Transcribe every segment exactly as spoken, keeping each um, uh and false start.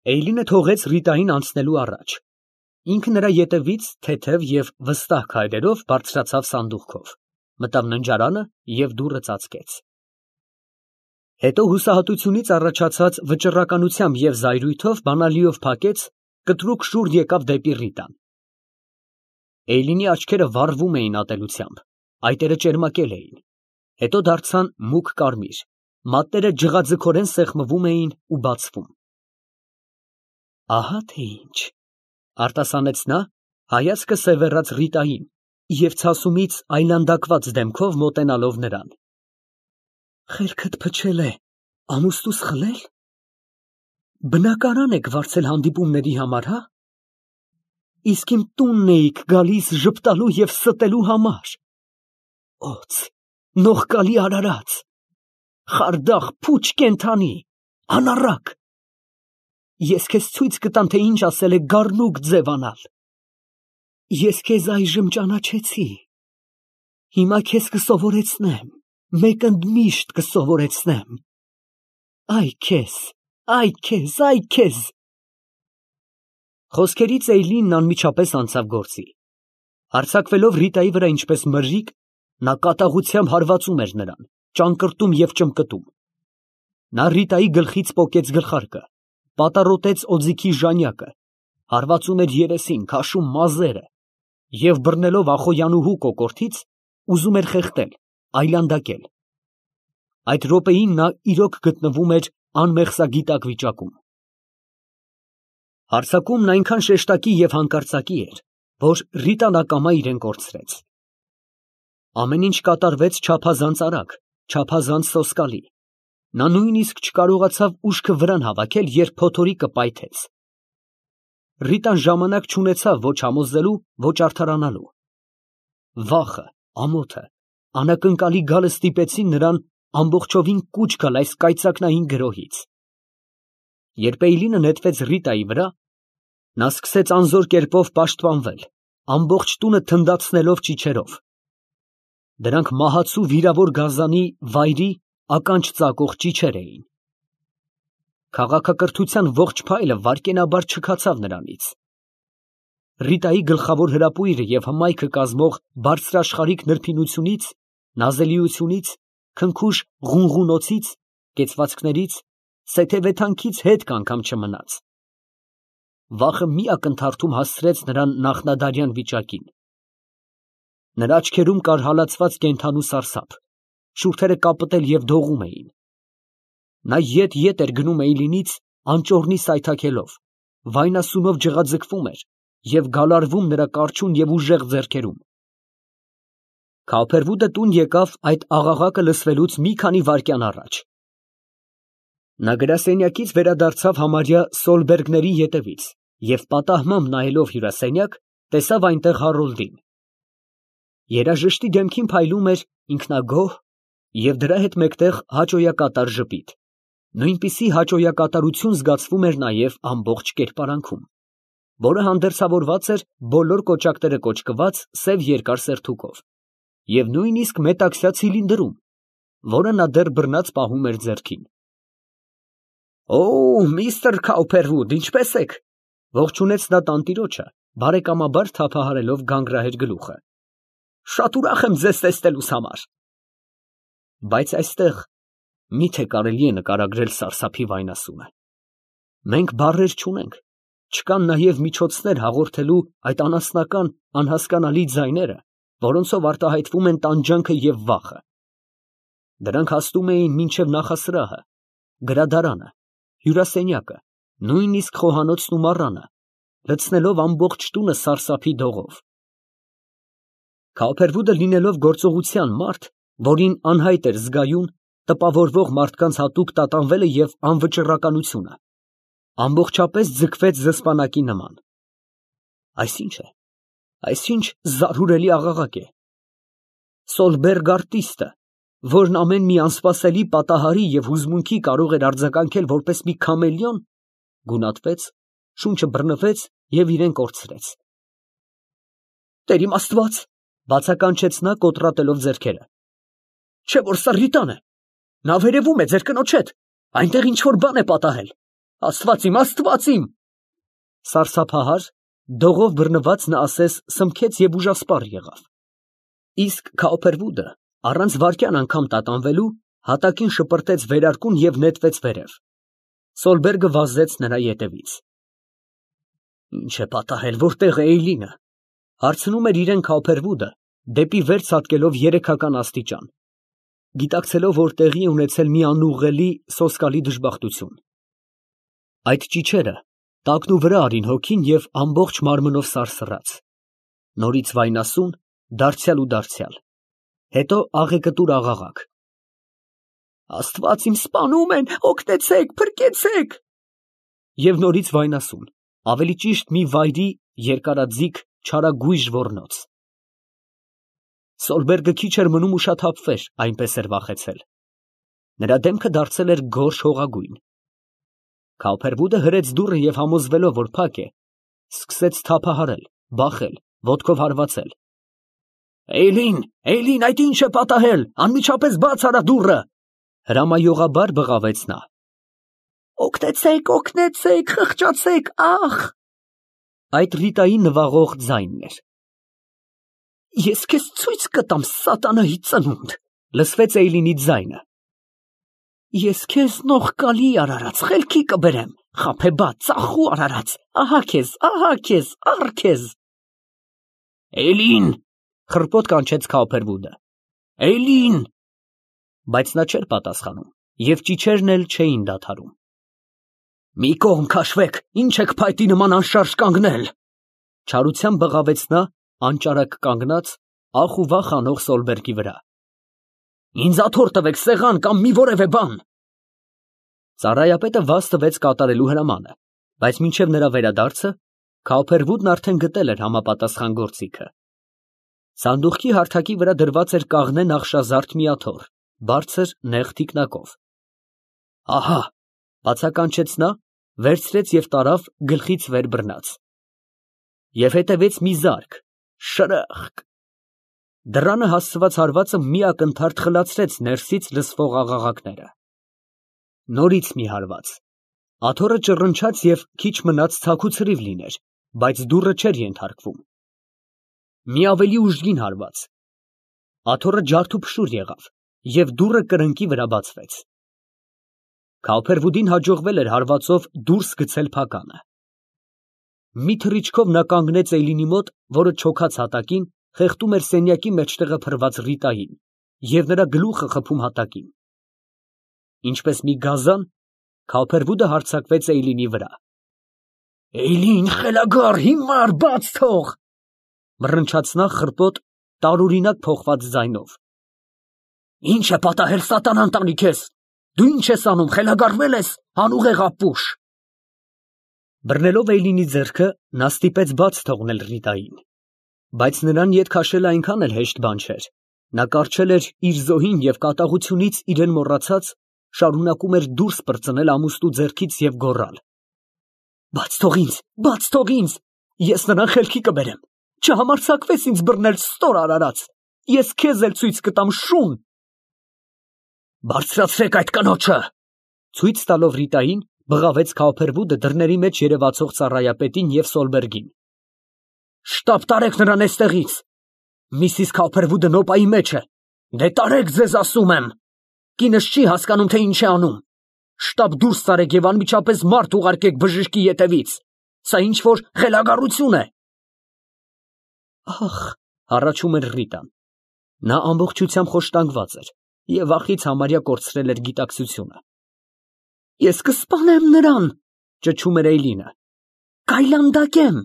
Էյլինը թողեց Ռիտային անցնելու առաջ, ինքը նրա ետևից թեթև և վստահ քայլերով բարձրացավ սանդուղքով, մտավ ննջարանը և դուռը ծածկեց։ Հետո հուսահատությունից առաջացած վճռականությամբ և զայրույթով բանալիով փակեց, կտրուկ շուռ եկավ դեպի Ռիտան։ Էյլինի աչքերը վառվում էին ատելությամբ, այտերը ճերմակել էին, հետո դարձան մուգ կարմիր, մատները ջղաձգորեն սեղմվում էին ու բացվում։ Ահա թե ինչ, արտասանեց նա, հայացքը սևեռած Ռիտային և ցասումից այլանդակված դեմքով մոտենալով նրան։ Խելքդ փչել է, ամուսնուս խլել։ Բնակարան եք վարձել հանդիպումների համար, հա։ Իսկ իմ տունն էիք գալիս ժպտալու և ստելու համար։ Օձ, նողկալի արարած, խարդախ փուչ կենդանի, անառակ։ Ես քեզ ցույց կտամ, թե ինչ ասել է գառնուկ ձևանալ։ Ես քեզ այժմ ճանաչեցի, հիմա քեզ կսովորեցնեմ, մեկ ընդմիշտ կսովորեցնեմ։ Այ քեզ, այ քեզ, այ քեզ։ Խոսքերից Էյլինն անմիջապես անցավ գործի։ Հարձակվելով Ռիտայի վրա ինչպես մրրիկ, նա կատաղությամբ հարվածում էր նրան, ճանկռտում և ճմկտում։ Նա Ռիտայի գլխից պոկեց գլխարկը, պատառոտեց օձիքի ժանյակը, հարվածում էր երեսին, քաշում մազերը և, բռնելով Ախոյանուհու կոկորդից, ուզում էր խեղդել, այլանդակել։ Այդ րոպեին նա իրոք գտնվում էր անմեղսագիտակ վիճակում։ Հարձակումն այնքան շեշտակի և հանկարծակի էր, որ Ռիտան ակամա իրեն կորցրեց։ Ամեն ինչ կատարվեց չափազանց արագ, չափազանց սոսկալի։ Նա նույնիսկ չկարողացավ ուշքը վրան հավաքել, երբ փոթորիկը պայթեց։ Ռիտան ժամանակ չունեցավ ոչ համոզելու, ոչ արդարանալու։ Վախը, ամոթը, անակնկալի գալը ստիպեցին նրան ամբողջովին կուչ գալ այս կայծակնային գրոհից։ Երբ Էյլինը նետվեց Ռիտայի վրա, նա սկսեց անզոր կերպով պաշտպանվել, ամբողջ տունը թնդացնելով ճիչերով։ Դրանք մահացու վիրավոր գազանի վայրի ականջ ծակող ճիչեր էին։ Քաղաքակրթության ողջ փայլը վայրկենաբար չքացավ նրանից։ Ռիտայի գլխավոր հրապույրը և հմայքը կազմող բարձրաշխարհիկ նրբինությունից, նազելիությունից, քնքուշ ղունղունոցից, կեցվածքներից, սեթևեթանքից հետք անգամ չմնաց։ Վախը մի ակնթարթում հասցրեց նրան նախնադարյան վիճակին։ Նրա աչքերում կար հալածված կենդանու սարսափ, շուրթերը կապտել և դողում էին։ Նա ետ֊ետ էր գնում Էյլինից, անճոռնի սայթաքելով, վայնասունով ջղաձգվում էր և գալարվում նրա կարճուն և ուժեղ ձեռքերում։ Քավփերվուտը տուն եկավ այդ աղաղակը լսվելուց մի քանի վայրկյան առաջ։ Նա գրասենյակից վերադարձավ համարյա Սոլբերգների ետևից և պատահմամբ նայելով հյուրասենյակ, տեսավ այնտեղ Հարոլդին։ Երաժշտի դեմքին փայլում էր ինքնագոհ և դրա հետ մեկտեղ հաճոյակատար ժպիտ, նույնպիսի հաճոյակատարություն զգացվում էր նաև ամբողջ կերպարանքում, որը հանդերձավորված էր բոլոր կոճակները կոճկված սև երկար սերթուկով և նույնիսկ մետաքսյա ցիլինդրում, որը նա դեռ բռնած պահում էր ձեռքին։ Օ, միստր Քավփերվուդ, ինչպե՞ս եք, ողջունեց նա տանտիրոջը, բարեկամաբար թափահարելով գանգրահեր գլուխը։ Շատ ուրախ եմ ձեզ տեսնելուս համար։ Բայց այստեղ մի՞թե կարելի է նկարագրել սարսափի վայնասունը։ Մենք բառեր չունենք, չկան նաև միջոցներ հաղորդելու այդ անասնական, անհասկանալի ձայները, որոնցով արտահայտվում են տանջանքը և վախը։ Դրանք հասնում էին մինչև նախասրահը, գրադարանը, հյուրասենյակը, նույնիսկ խոհանոցն ու մառանը, լցնելով ամբողջ տունը սարսափի դողով։ Քավփերվուդը լինելով գործողության մարդ, որին անհայտ էր զգայուն, տպավորվող մարդկանց հատուկ տատանվելը և անվճռականությունը, ամբողջապես ձգվեց զսպանակի նման։ Այս ի՞նչ է, այս ի՞նչ զարհուրելի աղաղակ է։ Սոլբերգ արտիստը, որն ամեն մի անսպասելի պատահարի և հուզմունքի կարող էր արձագանքել որպես մի քամելիոն, գունատվեց, շունչը բռնվեց և իրան կորցրեց։ Տեր իմ Աստված, բացականչեց նա կոտրատելով ձեռքերը, չէ՞ որ սա Ռիտան է, նա վերևում է ձեր կնոջ հետ, այնտեղ ինչ֊որ բան է պատահել, Աստված իմ, Աստված իմ։ Սարսափահար, դողով բռնված նա ասես սմքեց և ուժասպառ եղավ։ Իսկ Քաուփերվուդը առանց վայրկյան անգամ տատանվելու հատակին շպրտեց վերարկուն և նետվեց վերև։ Սոլբերգը վազեց նրա ետևից։ Ինչ է պատահել, որտե՞ղ է Էյլինը, հարցնում էր իրեն Քաուփերվուդը, դեպի վեր ցատկելով երեքական աստիճան, գիտակցելով, որ տեղի է ունեցել մի անուղղելի սոսկալի դժբախտություն։ Այդ ճիչերը տակնուվրա արին հոգին և ամբողջ մարմնով սարսռաց, նորից վայնասուն, դարձյալ ու դարձյալ, հետո աղեկտուր աղաղակ. Աստված իմ, սպանում են, օգնեցեք, փրկեցեք։ Եվ նորից վայնասուն, ավելի ճիշտ մի վայրի երկարաձիգ չարագույժ ոռնոց։ Սոլբերգը քիչ էր մնում ուշաթափվեր, այնպես էր վախեցել։ Նրա դեմքը դարձել էր գորշ հողագույն։ Քաուփերվուդը հրեց դուռը և համոզվելով, որ փակ է, սկսեց թափահարել, բախել, ոտքով հարվածել։ Էյլին, Էյլին, այդ ի՞նչ է պատահել, անմիջապես բաց արա դուռը, հրամայողաբար բղավեց նա։ Օգնեցեք, օգնեցեք, խղճացեք, ախ։ Այդ Ռիտայի նվաղող ձայնն էր։ Ես քեզ ցույց կտամ, սատանայի ծնունդ, լսվեց Էյլինի ձայնը։ Ես քեզ նողկալի արարած խելքի կբերեմ, խաբեբա, ծախու արարած, ահա քեզ, ահա քեզ, առ քեզ։ Էյլին, խռպոտ կանչեց Քաուփերվուդը։ Էյլին։ Բայց նա չէր պատասխանում, և ճիչերն էլ չէին դադարում։ Մի կողմ քաշվեք, ինչ եք փայտի նման անշարժ կանգնել, չարությամբ բղավեց նա անճարակ կանգնած, ախ ու վախ անող Սոլբերգի վրա։ Ինձ աթոռ տվեք սեղան կամ մի որևէ բան։ Ծառայապետը վազ տվեց կատարելու հրամանը, բայց մինչև նրա վերադարձը Քաուփերվուդն արդեն գտել էր համապատասխան գործիքը։ Սանդուղքի հարթակի վրա դրված էր կաղնե նախշազարդ մի աթոռ, բարձր նեղ թիկնակով։ Ահա, բացականչեց նա, վերցրեց և տարավ գլխից վեր բռնած։ Եվ հետևեց մի զարկ, շրըխկ։ Դռանը հասցված հարվածը մի ակնթարթ խլացրեց ներսից լսվող աղաղակները։ Նորից մի հարված։ Աթոռը ճռնչաց և քիչ մնաց ցաքուցրիվ լիներ, բայց դուռը չէր ենթարկվում։ Մի ավելի ուժգին հարված։ Աթոռը ջարդուփշուր եղավ, և դուռը կրնկի վրա բացվեց։ Քաուփերվուդին հաջողվել էր հարվածով դուրս գցել փականը։ Մի թռիչքով նա կանգնեց Էյլինի մոտ, որը չոքած հատակին խեղդում էր սենյակի մեջտեղը փռված Ռիտային և նրա գլուխը խփում հատակին։ Ինչպես մի գազան, Քաուփերվուդը հարձակվեց Էյլինի վրա։ Էյլին, խելագար, հիմար, բաց թող, մռնչաց նա խռպոտ, տարօրինակ փոխված ձայնով։ Ինչ է պատահել, սատանան տանի քեզ, դու ինչ ես անում, խելագարվել ես, անուղեղ ապուշ։ Բռնելով Էյլինի ձեռքը, նա ստիպեց բաց թողնել Ռիտային, բայց նրան ետ քաշելը այնքան էլ հեշտ բան չէր։ Նա կառչել էր իր զոհին և կատաղությունից իրեն մոռացած, շարունակում էր դուրս պրծնել ամուստու ձեռքից և գոռալ. Բաց թող ինձ, բաց թող ինձ, ես նրան խելքի կբերեմ, չհամարձակվես ինձ բռնել, ստոր արարած, ես քեզ էլ ցույց կտամ, շուն։ Բարձրացրեք այդ կնոջը, ցույց տալով Ռիտային, բղավեց Քաուփերվուդը դռների մեջ երևացող ծառայապետին և Սոլբերգին։ Շտապ տարեք նրան էստեղից։ Միսիս Քաուփերվուդը նոպայի մեջ է։ Դե տարեք ձեզ ասում եմ։ Կինս չի հասկանում, թե ինչ է անում։ Շտապ դուրս տարեք և անմիջապես մարդ ուղարկեք բժշկի ետևից։ Սա ինչ որ խելագարություն է։ Ախ, հառաչում էր Ռիտան։ Նա ամբողջությամբ խոշտանգված էր և վախից համարյա կորցրել էր գիտակցությունը։ Ես կսպանեմ նրան, ճչում էր Էյլինը, կայլանդակեմ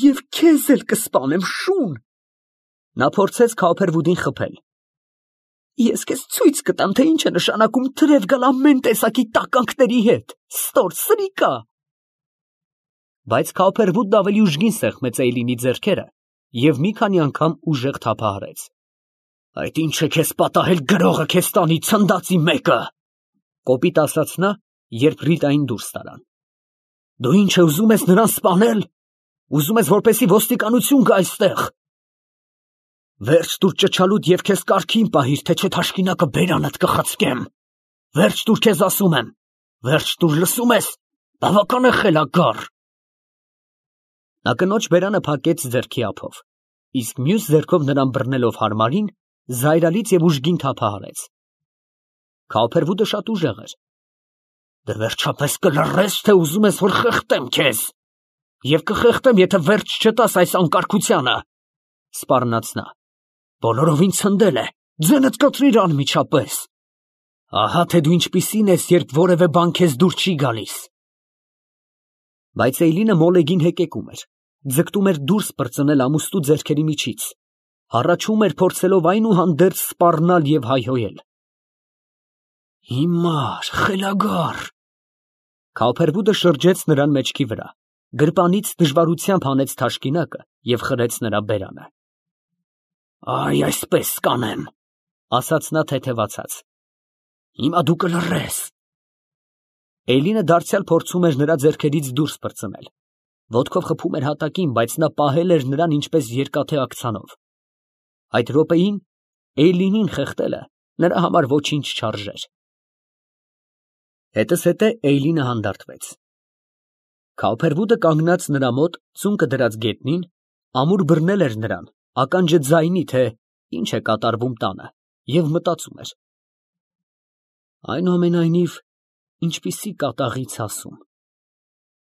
և քեզ էլ կսպանեմ, շուն։ Նա փորձեց Քաուփերվուդին խփել։ Ես քեզ ցույց կտամ, թե ինչ է նշանակում թրև գալ ամեն տեսակի տականքների հետ, ստոր սրիկա։ Բայց Քաուփերվուդն ավելի ուժգին սեղմեց Էյլինի ձեռքերը և մի քանի անգամ ուժեղ թափահարեց։ Այդ ինչ է քեզ պատահել, գրողը քեզ տանի, ցնդածի մեկը, կոպիտ ասաց նա, երբ Ռիտային դուրս տարան։ Դու ինչ է ուզում ես նրան սպանել։ Ուզում ես, որպեսզի ոստիկանություն գա այստեղ։ Վերջ տուր ճչալուդ և քեզ կարգին պահիր, թե չէ թաշկինակը բերանդ կխցկեմ։ Վերջ տուր քեզ ասում եմ։ Վերջ տուր, լսում ես։ Բավական է խելագար։ Նա կնոջ բերանը փակեց ձեռքի ափով, իսկ մյուս ձեռքով նրան բռնելով հարմարին, զայրալից և ուժգին թափահարեց։ Քալփերվուդը շատ ուժեղ էր։ Դե վերջապես կլռես, թե ուզում ես, որ խեղդեմ քեզ, և կխեղդեմ, եթե վերջ չտաս այս անկարգությանը, սպառնաց նա։ Բոլորովին ցնդել է, ձենդ կտրիր անմիջապես։ Ահա թե դու ինչպիսին ես, երբ որևէ բան քեզ դուր չի գալիս։ Բայց Էյլինը մոլեգին հեկեկում էր, ձգտում էր դուրս պրծնել ամուստու ձեռքերի միջից, հառաչում էր, փորձելով այնուհանդերձ սպառնալ և հայհոյել։ Հիմար, խելագար։ Քալփերվուդը շրջեց նրան մեջքի վրա, գրպանից դժվարությամբ հանեց թաշկինակը և խրեց նրա բերանը։ Այ այսպես կանեմ, ասաց նա թեթևացած։ Հիմա դու կլռես։ Էյլինը դարձյալ փորձում էր նրա ձեռքերից դուրս պրծնել, ոտքով խփում էր հատակին, բայց նա պահել էր նրան ինչպես երկաթե աքցանով։ Այդ րոպեին Էյլինին խեղդելը նրա համար ոչինչ չարժեր։ Հետզհետե Էյլինը հանդարտվեց։ Քալփերվուդը կանգնած նրա մոտ ծունկը դրած գետնին, ամուր բռնել էր նրան, ականջը ձայնի, թե ինչ է կատարվում տանը, և մտածում էր. այնուամենայնիվ, ինչպիսի կատաղի ցասում։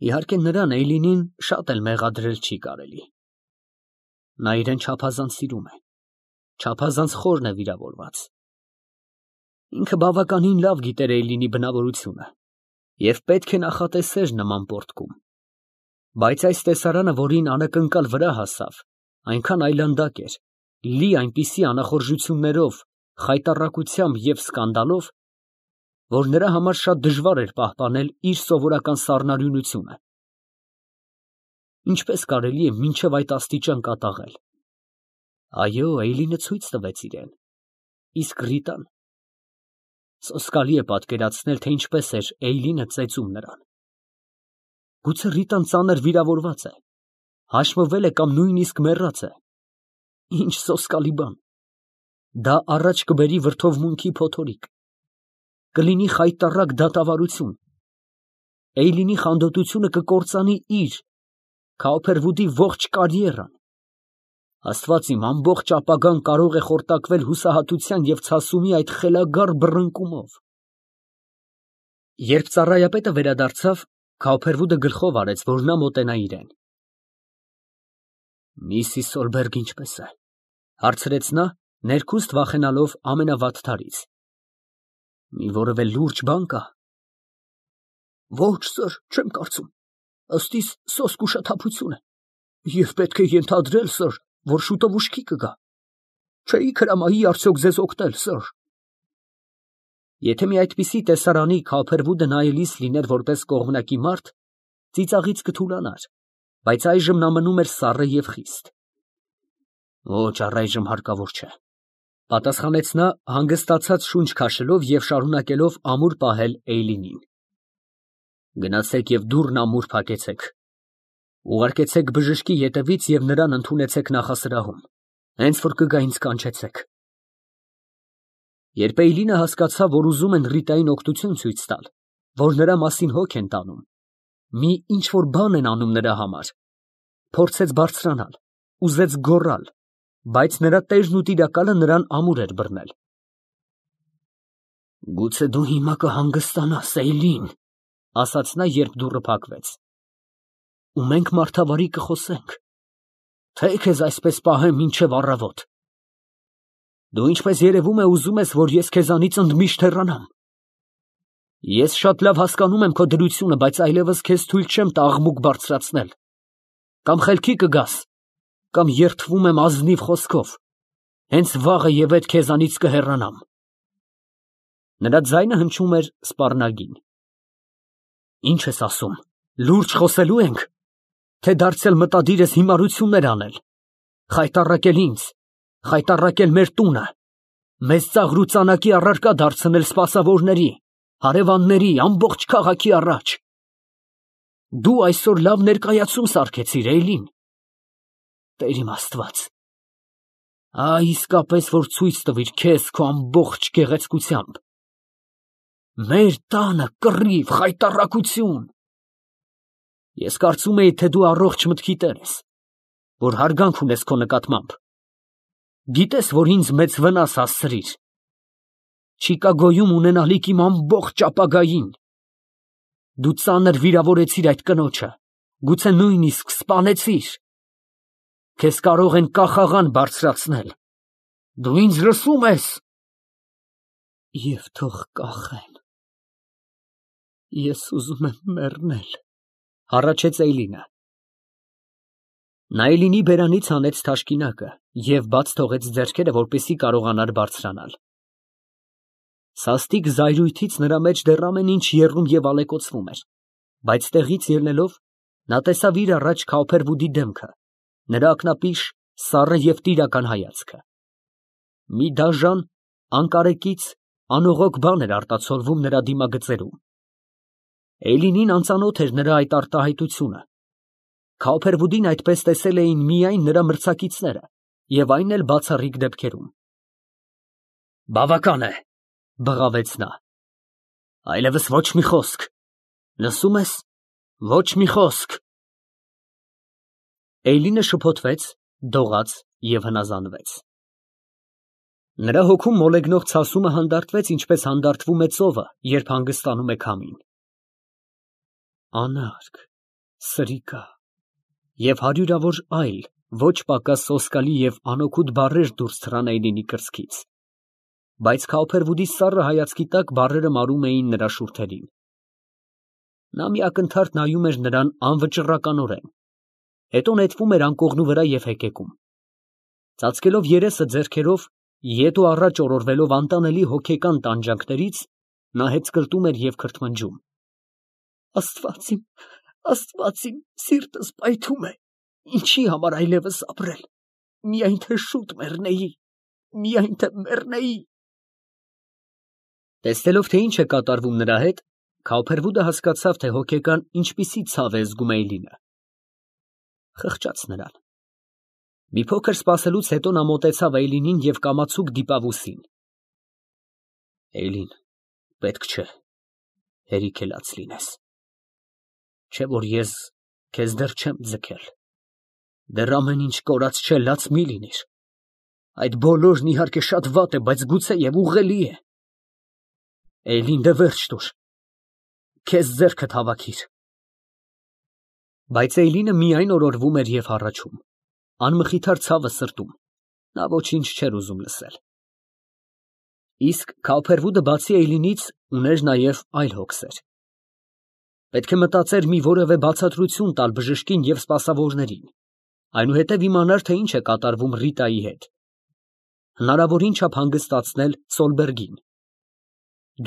Իհարկե նրան Էյլինին շատ էլ մեղադրել չի կարելի։ Նա իրեն չափազանց սիրում է, չափազանց խորն է վիրավորված։ Ինքը բավականին լավ գիտեր Էյլինի բնավորությունը և պետք է նախատեսեր նման պոռթկում։ Բայց այս տեսարանը, որին անակնկալ վրա հասավ, այնքան այլանդակ էր, լի այնպիսի անախորժություններով, խայտառակությամբ և սկանդալով, որ նրա համար շատ դժվար էր պահպանել իր սովորական սառնարյունությունը։ Ինչպես կարելի է մինչև այդ աստիճան կատաղել։ Այո, Էյլինը ցույց տվեց իրեն, իսկ Ռիտան… Սոսկալի է պատկերացնել, թե ինչպես էր Էյլինը ծեծում նրան։ Գուցե Ռիտան ծանր վիրավորված է, հաշմվել է կամ նույնիսկ մեռած է։ Ինչ սոսկալի բան։ Դա առաջ կբերի վրդովմունքի փոթորիկ, կլինի խայտառակ դատավարություն։ Էյլինի խանդոտությունը կկործանի իր, Քալփերվուդի ողջ կարիերան։ Աստված իմ, ամբողջ ապագան կարող է խորտակվել հուսահատության և ցասումի այդ խելագար բռնկումով։ Երբ ծառայապետը վերադարձավ, Քալփերվուդը գլխով արեց, որ նա մոտենա իրեն։ Միսիս Սոլբերգը ինչպե՞ս է, հարցրեց նա, ներքուստ վախենալով ամենավատթարից։ Մի որևէ լուրջ բան կա։ Ոչ, սըր, չեմ կարծում, ըստ իս սոսկ ուշաթափություն է, և պետք է ենթադրել, սըր, որ շուտով ուշքի կգա։ Չէի հրամայի արդյոք ձեզ օգնել, սըր։ Եթե մի այդպիսի տեսարանի Քալփերվուդը նայելիս լիներ որպես կողմնակի մարդ, ծիծաղից կթուլանար, բայց այժմ նա մնում էր սառը և խիստ։ Ոչ, առայժմ հարկավոր չէ, պատասխանեց նա, հանգստացած շունչ քաշելով և շարունակելով ամուր պահել Էյլինին։ Գնացեք և դուռն ամուր փակեցեք։ Ուղարկեցեք բժշկի ետևից և նրան ընդունեցեք նախասրահում, հենց որ կգա ինձ կանչեցեք։ Երբ Էյլինը հասկացավ, որ ուզում են Ռիտային օգնություն ցույց տալ, որ նրա մասին հոգ են տանում, մի ինչ֊որ բան են անում նրա համար, փորձեց բարձրանալ, ուզեց գոռալ, բայց նրա տերն ու տիրակալը նրան ամուր էր բռնել։ Գուցե դու հիմա կհանգստանաս, Էյլին, ասաց նա, երբ դուռը փակվեց, ու մենք մարդավարի կխոսենք, թե քեզ այսպես պահեմ մինչև առավոտ։ Դու, ինչպես երևում է, ուզում ես, որ ես քեզանից ընդմիշտ հեռանամ։ Ես շատ լավ հասկանում եմ քո դրությունը, բայց այլևս քեզ թույլ չեմ տա աղմուկ բարձրացնել։ Կամ խելքի կգաս, կամ երդվում եմ ազնիվ խոսքով, հենց վաղը և ետ քեզանից կհեռանամ։ Նրա ձայնը հնչում էր սպառնալին։ Ինչ ես ասում, լուրջ խոսելո՞ւ ենք, թե դարձյալ մտադիր ես հիմարություններ անել, խայտառակել ինձ, խայտառակել մեր տունը, մեզ ծաղրուծանակի առարկա դարձնել սպասավորների, հարևանների, ամբողջ քաղաքի առաջ։ Դու այսօր լավ ներկայացում սարքեցիր, Էյլին։ Տեր իմ Աստված, այ իսկապես, որ ցույց տվիր քեզ քո ամբողջ գեղեցկությամբ։ Մեր տանը կռիվ, խայտառակություն, Ես կարծում էի, թե դու առողջ մտքի տեր ես, որ հարգանք ունես քո նկատմամբ։ Գիտես, որ ինձ մեծ վնաս հասցրիր։ Չիկագոյում ունենալիք իմ ամբողջ ապագային։ Դու ծանր վիրավորեցիր այդ կնոջը, գուցե նույնիսկ սպանեցիր։ Քեզ կարող են կախաղան բարձրացնել։ Դու ինձ լսո՞ւմ ես։ Եվ թող կախեն։ Ես ուզում եմ մեռնել, հառաչեց Էյլինը։ Նա Էյլինի բերանից հանեց թաշկինակը և բաց թողեց ձեռքերը, որպեսզի կարողանար բարձրանալ։ Սաստիկ զայրույթից նրա մեջ դեռ ամեն ինչ եռում և ալեկոծվում էր, բայց տեղից ելնելով, նա տեսավ իր առաջ Քաուփերվուդի դեմքը, նրա ակնապիշ, սառը և տիրական հայացքը։ Մի դաժան, անկարեկից, անողոք բան էր արտացոլվում նրա դիմագծերում։ Էյլինին անծանոթ էր նրա այդ արտահայտությունը։ Քաուփերվուդին այդպես տեսել էին միայն նրա մրցակիցները և այն էլ բացառիկ դեպքերում։ Բավական է, բղավեց նա։ Այլևս ոչ մի խոսք։ Լսո՞ւմ ես, ոչ մի խոսք։ Էյլինը շփոթվեց, դողաց և հնազանդվեց։ Նրա հոգում մոլեգնող ցասումը հանդարտվեց, ինչպես հանդարտվում է ծովը, երբ հանգստանում է քամին։ Անարգ, սրիկա և հարյուրավոր այլ ոչ պակաս սոսկալի և անօգուտ բառեր դուրս թռան Էյլինի կրծքից, բայց Քաուփերվուդի սառը հայացքի տակ բառերը մարում էին նրա շուրթերին։ Նա մի ակնթարթ նայում էր նրան անվճռականորեն, հետո նետվում էր անկողնու վրա և հեկեկում։ Ծածկելով երեսը ձեռքերով, ետ ու առաջ օրորվելով անտանելի հոգեկան տանջանքներից, նա հեծկլտում էր և քրթմնջում. Աստված իմ, Աստված իմ, սիրտս պայթում է, ինչի համար այլևս ապրել, միայն թե շուտ մեռնեի, միայն թե մեռնեի։ Տեսնելով, թե ինչ է կատարվում նրա հետ, Քաուփերվուդը հասկացավ, թե հոգեկան ինչպիսի ցավ է զգում Էյլինը։ Խղճաց նրան։ Մի փոքր սպասելուց հետո նա մոտեցավ Էյլինին և կամացուկ դիպավ ուսին։ Էյլին, պետք չէ, հերիք է լաց լինես։ Չէ որ ես քեզ դեռ չեմ ձգել, դեռ ամեն ինչ կորած չէ, լաց մի լինիր։ Այդ բոլորն իհարկե շատ վատ է, բայց գուցեև ուղղելի է։ Էյլին, դե վերջ տուր, քեզ ձեռքդ հավաքիր։ Բայց Էյլինը միայն օրորվում էր և հառաչում, անմխիթար ցավը սրտում, նա ոչինչ չէր ուզում լսել։ Իսկ Քաուփերվուդը բացի Էյլինից ուներ նաև այլ հոգսեր։ Պետք է մտածեր մի որևէ բացատրություն տալ բժշկին և սպասավորներին, այնուհետև իմանար, թե ինչ է կատարվում Ռիտայի հետ։ Հնարավորին չափ հանգստացնել Սոլբերգին։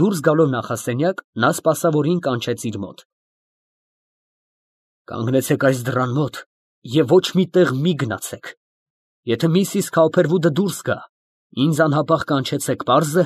Դուրս գալով նախասենյակ, նա սպասավորին կանչեց իր մոտ։ Կանգնեցեք այս դռան մոտ և ոչ մի տեղ մի գնացեք։ Եթե միսիս Քաուփերվուդը դուրս գա, ինձ անհապաղ կանչեցեք, պարզ է։